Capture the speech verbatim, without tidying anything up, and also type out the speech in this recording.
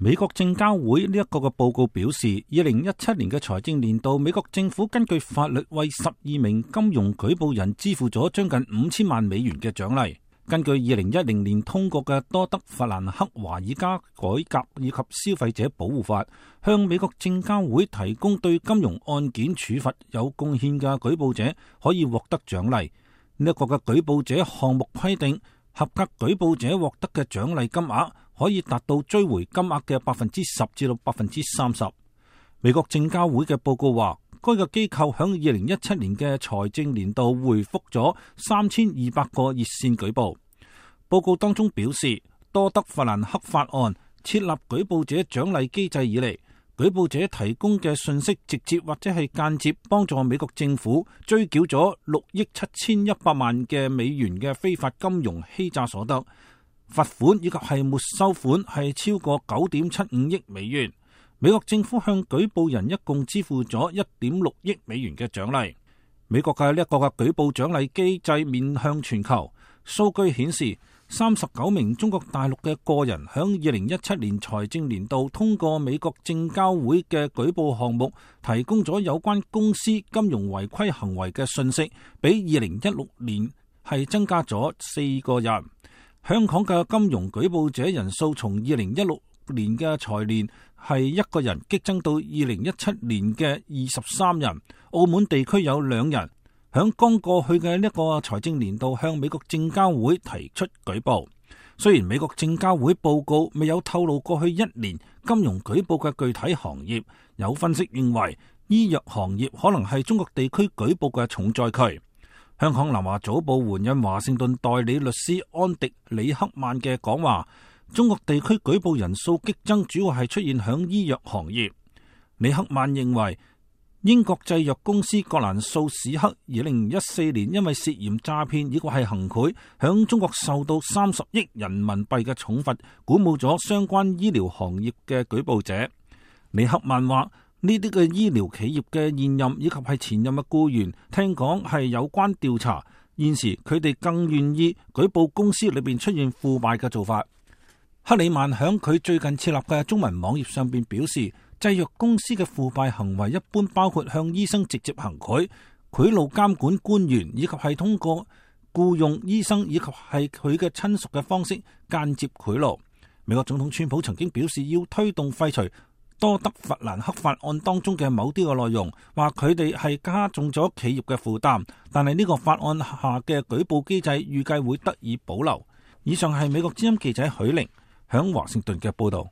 美國證交會呢一個嘅報告表示，二零一七年嘅財政年度，美國政府根據法律為十二名金融舉報人支付咗將近五千萬美元嘅獎勵。根據二零一零年通過嘅多德弗蘭克華爾街改革以及消費者保護法，向美國證交會提供對金融案件處罰有貢獻嘅舉報者可以獲得獎勵。呢一個嘅舉報者項目規定，合格舉報者獲得嘅獎勵金額可以達到追回金額嘅百分之十至到百分之三十。美國證交會嘅報告話，該個機構響二零一七年嘅財政年度回覆咗三千二百個熱線舉報。報告當中表示，多德弗蘭克法案設立舉報者獎勵機制以嚟，舉報者提供嘅信息直接或者係間接幫助美國政府追繳咗六億七千一百萬嘅美元嘅非法金融欺詐所得，罰款以及係沒收款係超過九點七五億美元。美國政府向舉報人一共支付咗一點六億美元嘅獎勵。美國嘅呢一個嘅舉報獎勵機制面向全球，數據顯示三十九名中國大陸嘅個人響二零一七年財政年度通過美國證交會嘅舉報項目，提供咗有關公司金融違規行為嘅信息，比二零一六年係增加咗四個人。香港嘅金融舉報者人數從二零一六年嘅財年係一個人激增到二零一七年嘅二十三人。澳門地區有兩人響剛過去嘅呢個財政年度向美國證交會提出舉報。雖然美國證交會報告未有透露過去一年金融舉報嘅具體行業，有分析認為醫藥行業可能係中國地區舉報嘅重災區。香港南華早報援引華盛頓代理律師安迪李克曼嘅講話，中國地區舉報人數激增主要係出現響醫藥行業。李克曼認為，英國製藥公司葛蘭素史克二零一四年因為涉嫌詐騙以及係行賄，響中國受到三十億人民幣嘅重罰，鼓舞咗相關醫療行業嘅舉報者。李克曼話，呢啲嘅醫療企業嘅現任以及係前任嘅僱員，聽講係有關調查，現時佢哋更願意舉報公司裏邊出現腐敗嘅做法。克里曼響佢最近設立嘅中文網頁上邊表示，製藥公司嘅腐敗行為一般包括向醫生直接行賄、賄賂監管官員，以及係通過僱用醫生以及係佢嘅親屬嘅方式間接賄賂。美國總統川普曾經表示要推動廢除多德弗蘭克法案當中嘅某啲嘅內容，話佢哋係加重咗企業嘅負擔，但係呢個法案下嘅舉報機制預計會得以保留。以上係美國之音記者許玲響華盛頓嘅報道。